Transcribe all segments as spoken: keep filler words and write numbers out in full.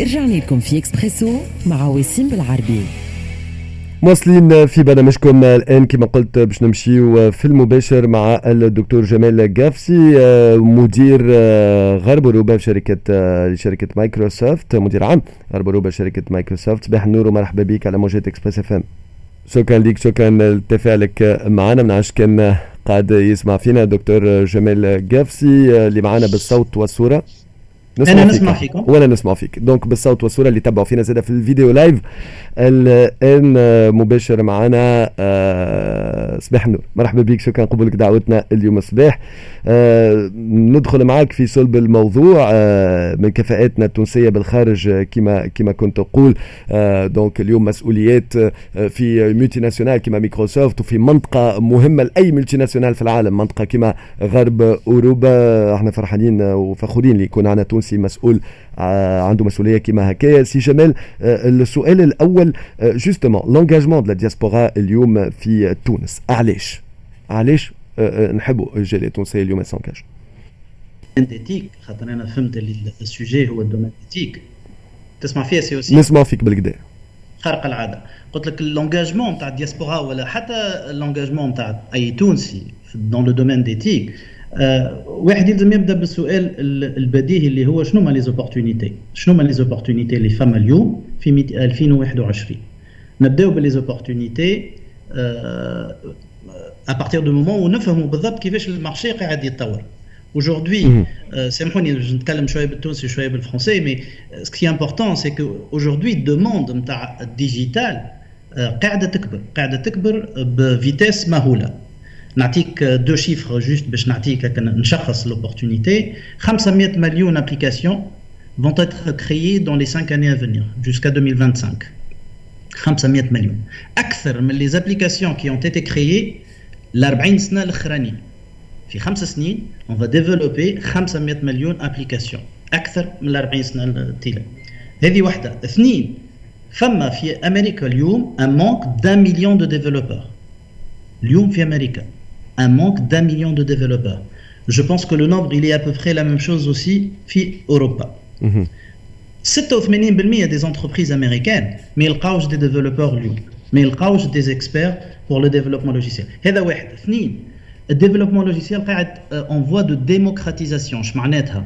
رجعنا لكم في اكسبريسو مع وسيم بالعربي. مواصلين في برنامجكم. الان كما قلت باش نمشيو في المباشر مع الدكتور جمال قفصي، مدير غرب اوروبا في شركة شركة مايكروسوفت، مدير عام غرب اوروبا شركة مايكروسوفت. صباح النور ومرحبا بك على موجات اكسبريس اف ام. شكرا لك، شكرا لتفاعلك معنا. ما نعرفش كان قاعد يسمع فينا دكتور جمال قفصي اللي معنا بالصوت والصوره. نسمع انا نسمع فيكم. وانا نسمع فيك، donc بالصوت والصوره. اللي تبعوا فينا زاد في الفيديو live الان مباشر معنا. آه، صباح النور، مرحبا بك، شكرا قبولك دعوتنا اليوم الصباح. آه، ندخل معك في صلب الموضوع. آه، من كفاءاتنا التونسية بالخارج كما كما كنت تقول، donc اليوم مسؤوليات في multinationale كما مايكروسوفت وفي منطقة مهمة لاي multinationale في العالم، منطقة كما غرب اوروبا. احنا فرحانين وفخورين اللي يكون عندنا تونسي مسؤول عنده مسؤولية كما هكايا. سي جمال، السؤال الاول justement l'engagement de la diaspora اليوم في تونس، علاش علاش نحبوا الجالية التونسية اليوم s'engage؟ des TIC، خاطر انا فهمت اللي ال sujet هو ال domaine des TIC. تسمع فيها سي وسيم؟ نسمع فيك بالقدا. خارق العاده. قلت لك l'engagement تاع الدياسبورا ولا حتى l'engagement تاع اي تونسي dans le domaine des TIC، واحد يلزم يبدا بالسؤال البديهي اللي هو شنو ما les opportunités، شنو ما les opportunités اللي فما اليوم في ألفين وواحد وعشرين. نبداو ب les opportunités à partir du moment où نفهموا بالضبط كيفاش ال marché قاعد يتطور. Aujourd'hui, سامحوني نتكلم شوية بالتونسي شوية بالفرنسي، mais ce qui est important، c'est que aujourd'hui ال demande نتاع ال digital قاعدة تكبر، قاعدة تكبر ب vitesse مهوله. نعطيك deux chiffres juste باش نعطيك نشخص l'opportunité: خمسمية مليون applications vont être créées dans les cinq années à venir jusqu'à deux mille vingt-cinq. خمسمية مليون، اكثر من les applications qui ont été créées ال أربعين سنة الاخرانيين. في خمس سنين on va développer خمسمية مليون application، اكثر من ال أربعين سنة التالية. هذه واحده. اثنين، فما في امريكا اليوم un manque d'un million de développeurs. اليوم في امريكا un manque d'un million de développeurs. Je pense que le nombre، il est à peu près la même chose aussi في أوروبا. ستة وثمانين بالمية des entreprises américaines ما يلقاوش des développeurs اليوم، ما يلقاوش des experts pour le développement logiciel. هذا واحد. اثنين، ال développement logiciel قاعد en voie de démocratisation. اش معناتها؟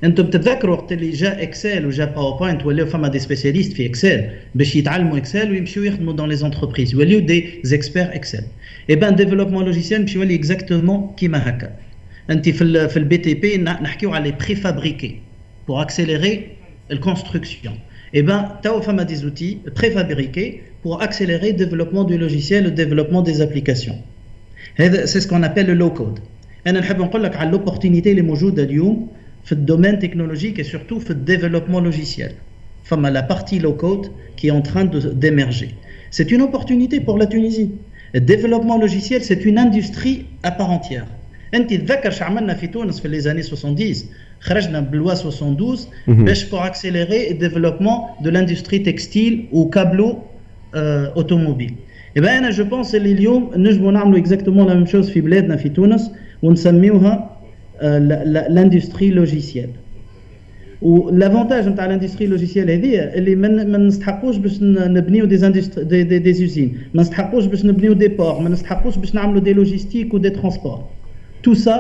انتم تتذكروا وقت اللي جا Excel وجا PowerPoint، ولاو فما des spécialistes في Excel باش يتعلموا Excel ويمشيو يخدموا dans les entreprises، يوليو des experts Excel. eh ben développement logiciel باش يولي exactement كيما هكا. انت في ال في ال BTP نحكيو على les préfabriqués pour accélérer ال construction. eh ben توا فما des outils préfabriqués pour accélérer le développement du logiciel، le développement des applications. هذا c'est ce qu'on appelle le low code. انا نحب نقول لك على l'opportunité اللي موجودة اليوم في ال domaine technologique et surtout في ال développement logiciel. فما la partie low code qui est en train d'émerger. C'est une opportunité pour la Tunisie. Le développement logiciel، c'est une industrie à part entière. انت تذكر شو عملنا في تونس في les années soixante-dix؟ خرجنا ب loi soixante-douze باش pour accélérer le développement de l'industrie textile ou câblo automobile. Eh ben انا je pense اللي اليوم نجموا نعملوا exactement la même chose في بلادنا في تونس ونسميوها l'industrie logicielle. و l'avantage نتاع l'industrie logicielle هذه اللي ما نستحقوش باش نبنيو des des, des, des usines، ما نستحقوش باش نبنيو des ports، ما نستحقوش باش نعملوا des logistiques و des transports. tout ça،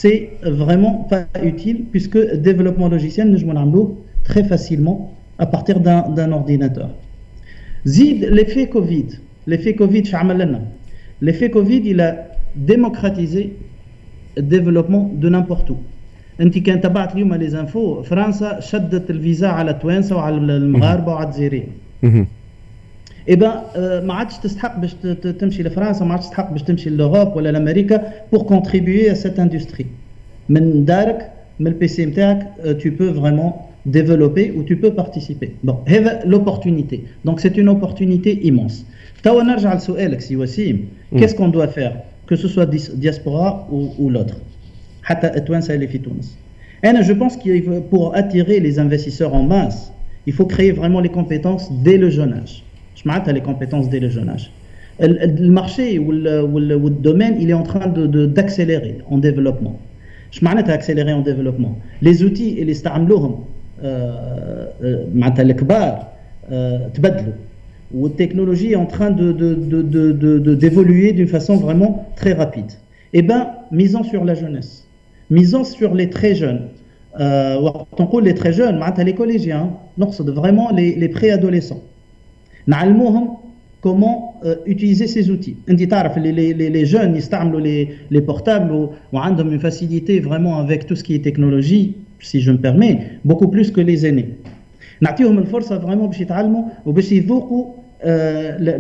c'est vraiment pas utile puisque développement logiciel نجمو نعملوه très facilement à partir d'un d'un ordinateur. زيد l'effet Covid. l'effet Covid شو عمل لنا؟ l'effet Covid، il a démocratisé le développement de n'importe où. انت كان تبعت اليوم les infos، فرنسا شدت الفيزا على التوانسة وعلى المغاربة وعلى الجزائريين. eh ben ما عادش تستحق باش تمشي لفرنسا، ما عادش تستحق باش تمشي l'Europe ولا لامريكا pour contribuer à cette industrie. من دارك، من ال PC نتاعك، tu peux vraiment développer ou tu peux participer. Bon، هذا l'opportunité. Donc c'est une opportunité immense. توا نرجع لسؤالك سي وسيم، qu'est-ce qu'on doit faire، que ce soit diaspora ou, ou l'autre، حتى التوانسة اللي في تونس. انا je pense que pour attirer les investisseurs en masse، il faut créer vraiment les compétences dès le jeune âge. اش معناتها les compétences dès le jeune âge؟ ال marché وال domaine، il est en train de d'accélérer en développement. اش معناتها accélérer en développement؟ les outils اللي استعملوهم معناتها الكبار تبدلوا وال technologie est en train de, de, de, de, de, d'évoluer d'une façon vraiment très rapide. Eh ben, misons sur la jeunesse, misons sur les très jeunes. وقت نقول les très jeunes معناتها les collégiens, نقصد vraiment les, les préadolescents. نعلموهم comment euh, utiliser ces outils. انت تعرف les, les, les jeunes يستعملوا les, les portables وعندهم une facilité vraiment avec tout ce qui est technologie, si je me permets, beaucoup plus que les aînés. نعطيهم الفرصة vraiment باش يتعلموا وباش يذوقوا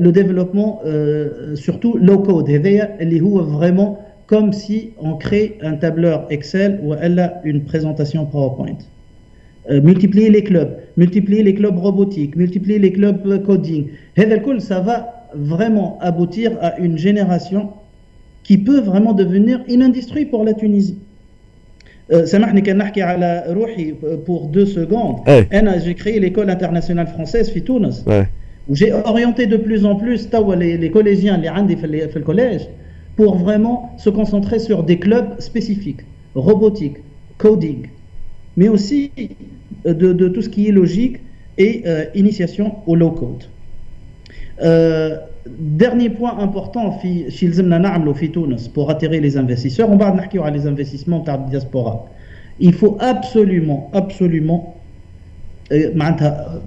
le développement, euh, surtout low code هذايا اللي هو vraiment comme si on crée un tableur Excel ou une présentation PowerPoint. Euh, multiplier les clubs, multiplier les clubs robotiques, multiplier les clubs coding. هذا الكل ça va vraiment aboutir à une génération qui peut vraiment devenir une industrie pour la Tunisie. سامحني كان نحكي على روحي pour deux secondes. انا j'ai créé l'école internationale française في تونس. Où j'ai orienté de plus en plus توا les, les collégiens اللي عندي في, في ال collège pour vraiment se concentrer sur des clubs spécifiques, robotique, coding, mais aussi de, de tout ce qui est logique et euh, initiation au low code. Euh, dernier point important في شي لازمنا نعملوا في تونس pour attirer les investisseurs, ومن بعد نحكيو على les investissements تاع ال diaspora. Il faut absolument, absolument معناتها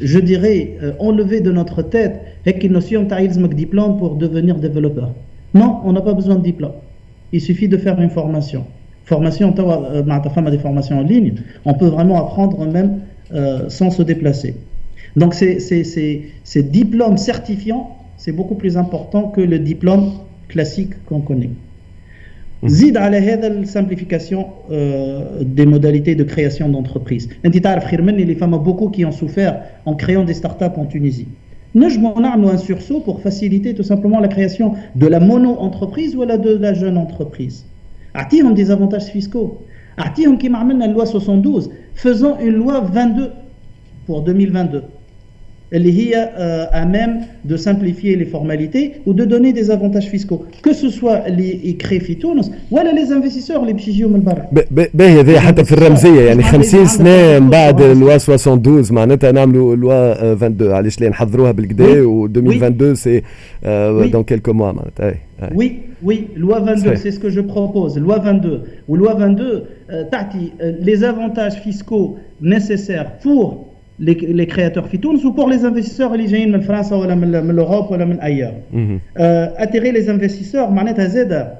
je dirais enlever de notre tête هيك ال notion تاع يلزمك diplôme pour devenir développeur. Non, on n'a pas besoin de diplôme. Il suffit de faire une formation. Formation توا معناتها فما des formations en ligne, on peut vraiment apprendre même euh, sans se déplacer. Donc ces, ces, ces, ces diplômes certifiants, c'est beaucoup plus important que le diplôme classique qu'on connaît. زيد على هذا ال simplification des modalités de création d'entreprise. انت تعرف خير مني اللي فما beaucoup qui ont souffert en créant des startups en Tunisie. نجموا نعملوا un sursaut pour faciliter tout simplement la création de la mono-entreprise ولا de la jeune entreprise. اعطيهم des avantages fiscaux. اعطيهم كيما عملنا loi soixante-douze, faisons une loi vingt-deux pour deux mille vingt-deux اللي هي à même de simplifier les formalités ou de donner des avantages fiscaux, que ce soit اللي يكري في تونس ولا les investisseurs اللي باش يجيو من برا. باهي هذه حتى في الرمزيه، يعني خمسين سنه من بعد loi soixante-douze معناتها نعملوا loi vingt-deux، علاش لا نحضروها بالقدا و deux mille vingt-deux, c'est dans quelques mois معناتها. Oui, oui, loi vingt-deux, c'est ce que je propose. Loi vingt-deux. و loi vingt-deux, euh, تعطي les avantages fiscaux nécessaires pour les, les créateurs في تونس ou pour les investisseurs اللي جايين من فرنسا ولا من, من l'Europe ولا من ailleurs. Euh, attirer les investisseurs معناتها زاده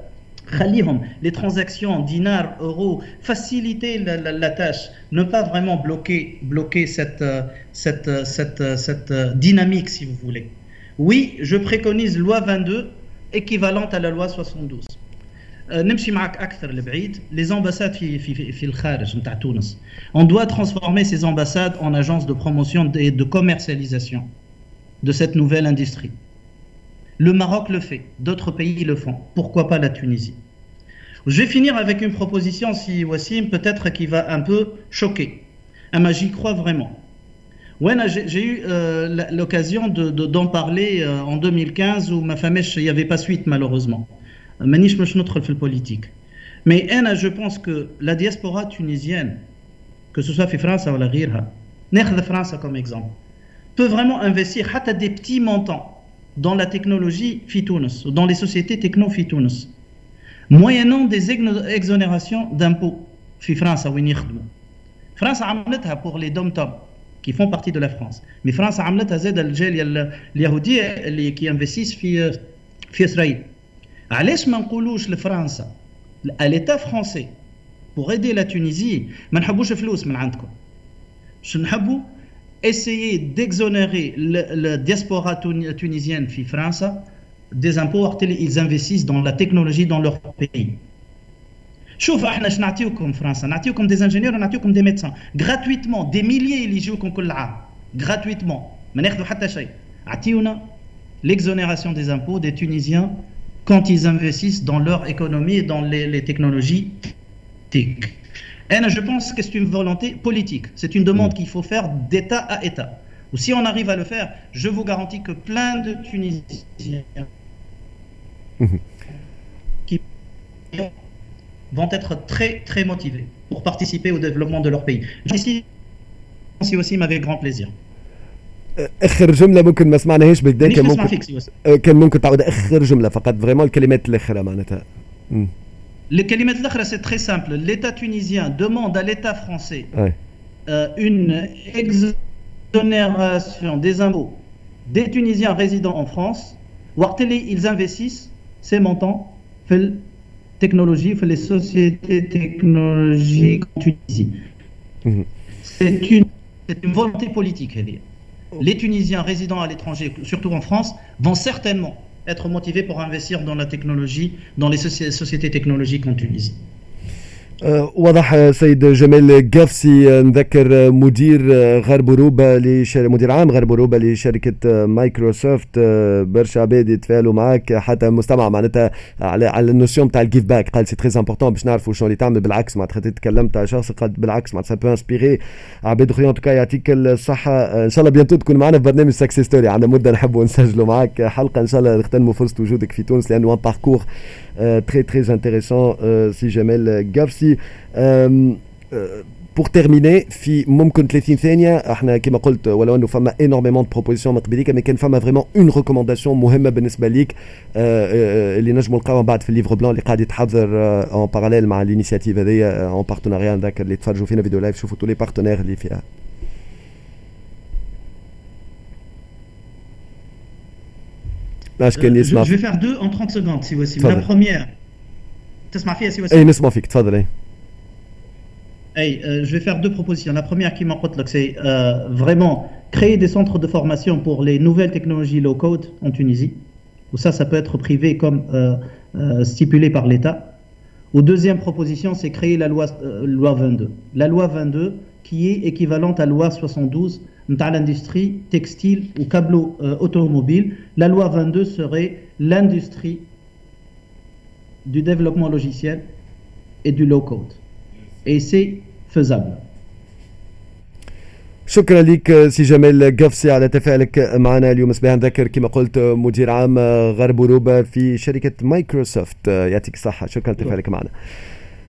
خليهم les transactions dinar euro, faciliter la, la, la tâche, ne pas vraiment bloquer bloquer cette cette cette cette dynamique, si vous voulez. Oui, je préconise loi vingt-deux équivalente à la loi soixante-douze. نمشي معك اكثر لبعيد، les ambassades في في في الخارج نتاع تونس, on doit transformer ces ambassades en agences de promotion et de commercialisation de cette nouvelle industrie. Le Maroc le fait, d'autres pays le font, pourquoi pas la Tunisie? Je vais finir avec une proposition, سي Wassim, peut-être qui va un peu choquer, أما j'y crois vraiment. Ouais, j'ai eu euh, l'occasion de, de, d'en parler euh, en deux mille quinze و ما فماش, il n'y avait pas suite malheureusement. مانيش باش ندخل في ال politique. Mais انا je pense que la diaspora tunisienne, que ce soit في فرنسا ولا غيرها، ناخذ فرنسا comme exemple, peut vraiment investir حتى des petits montants dans la technologie في تونس, dans les sociétés techno في تونس, moyennant des exonérations d'impôts في فرنسا وين يخدموا. فرنسا عملتها pour les DOM-TOM qui font partie de la France. Mais فرنسا عملتها زاد الجاليه اليهوديه اللي qui investissent في في اسرائيل. علاش ما نقولوش لفرنسا، à l'État français, pour aider la Tunisie, ما نحبوش فلوس من عندكم، شو نحبوا؟ Essayer d'exonérer la diaspora tunisienne في فرنسا des impôts وقت اللي ils investissent dans la technologie dans leur pays. شوف احنا اش نعطيوكم فرنسا، نعطيوكم des ingénieurs ونعطيوكم des médecins gratuitement, des milliers اللي يجيوكم كل عام gratuitement، ما ناخذوا حتى شيء. اعطيونا l'exonération des impôts des Tunisiens quand ils investissent dans leur économie et dans les, les technologies tech. Et je pense que c'est une volonté politique. C'est une demande qu'il faut faire d'État à État. و si on arrive à le faire, je vous garantis que plein de Tunisiens qui vont être très très motivés pour participer au développement de leur pays. Ici, سي وسيم avec grand plaisir. اخر جملة ممكن ما سمعناهاش بالكدا، كان ممكن فيك كان ممكن تعود اخر جملة فقط، vraiment الكلمات الاخرى معناتها. الكلمات الاخرى c'est très simple. L'État tunisien demande à l'État français euh, une exonération des impôts des Tunisiens résidant en France وقت اللي ils investissent ces montants في ال technologie، في les sociétés technologiques en Tunisie. C'est une c'est une volonté politique هذه. Les Tunisiens résidant à l'étranger, surtout en France, vont certainement être motivés pour investir dans la technologie, dans les sociétés technologiques en Tunisie. وضح سيد جمال قفصي، نذكر مدير غرب اوروبا لشر... مدير عام غرب اوروبا لشركة مايكروسوفت. برشا عباد يتفاعلوا معك، حتى مستمع معناتها على على ال notion تاع ال give back، قال c'est très important باش نعرفوا شنو اللي تعمل. بالعكس معناتها تكلمت على شخص قال بالعكس معناتها ça peut inspirer عباد اخرين. en tout cas يعطيك الصحه، ان شاء الله bientôt تكون معنا في برنامج Success Story. عندنا مده نحبوا نسجلوا معك حلقه، ان شاء الله نغتنموا فرصة وجودك في تونس لانه un parcours très très intéressant سي جمال قفصي. pour terminer في ممكن ثلاثين ثانية، احنا كما قلت ولو انه فما énormément de propositions من قبليك، mais كان فما vraiment une recommandation مهمة بالنسبة ليك اللي نجموا نلقاوها بعد في ال livre blanc اللي قاعد يتحضر en parallèle مع l'initiative هذيا en partenariat. نذكر اللي تفرجوا فينا vidéo live شوفوا tous les partenaires اللي فيها. كان يسمع. Je vais faire deux en trente secondes سي وسيم. La première، تسمع فيها سي وسيم؟ اي نسمع فيك، تفضل. اي Hey, euh, je vais faire deux propositions. La première qui m'en c'est euh, vraiment créer des centres de formation pour les nouvelles technologies low-code en Tunisie. Où ça, ça peut être privé comme euh, euh, stipulé par l'État. Ou deuxième proposition, c'est créer la loi, euh, loi vingt-deux. La loi vingt-deux qui est équivalente à la loi soixante-douze dans l'industrie textile ou câblo euh, automobile. La loi vingt-deux serait l'industrie du développement logiciel et du low-code. Et c'est faisable. شكرا لك سي جمال قفصي على تفاعلك معنا اليوم صباح. نذكر كما قلت مدير عام غرب اوروبا في شركة مايكروسوفت. يعطيك الصحه، شكرا لتفاعلك معنا.